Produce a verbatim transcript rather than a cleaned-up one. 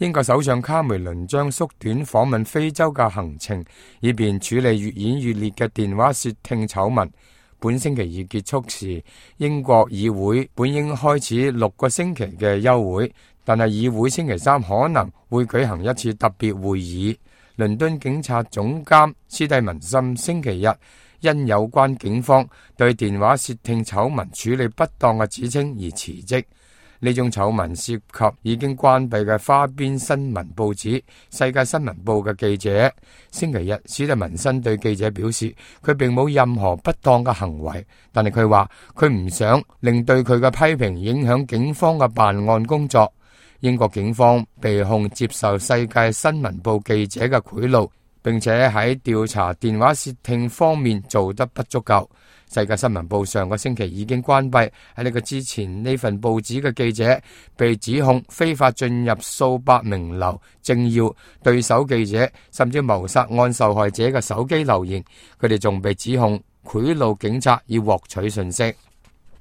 英國首相卡梅倫將縮短訪問非洲嘅行程，以便處理越演越烈嘅電話竊聽醜聞。本星期二結束時，英國議會本應開始六個星期嘅休會，但係議會星期三可能會舉行一次特別會議。倫敦警察總監斯蒂文森星期日因有關警方對電話竊聽醜聞處理不當嘅指稱而辭職。呢種醜聞涉及已經關閉嘅花邊新聞報紙《世界新聞報》嘅記者。星期日，史蒂文森對記者表示，佢並冇任何不當嘅行為，但係佢話佢唔想令對佢嘅批評影響警方嘅辦案工作。英國警方被控接受《世界新聞報》記者嘅賄賂，並且喺調查電話竊聽方面做得不足夠。世界新聞報上個星期已經關閉，喺呢個之前呢份報紙嘅記者被指控非法進入數百名流政要、對手記者，甚至謀殺案受害者嘅手機留言。佢哋仲被指控賄賂警察以獲取信息。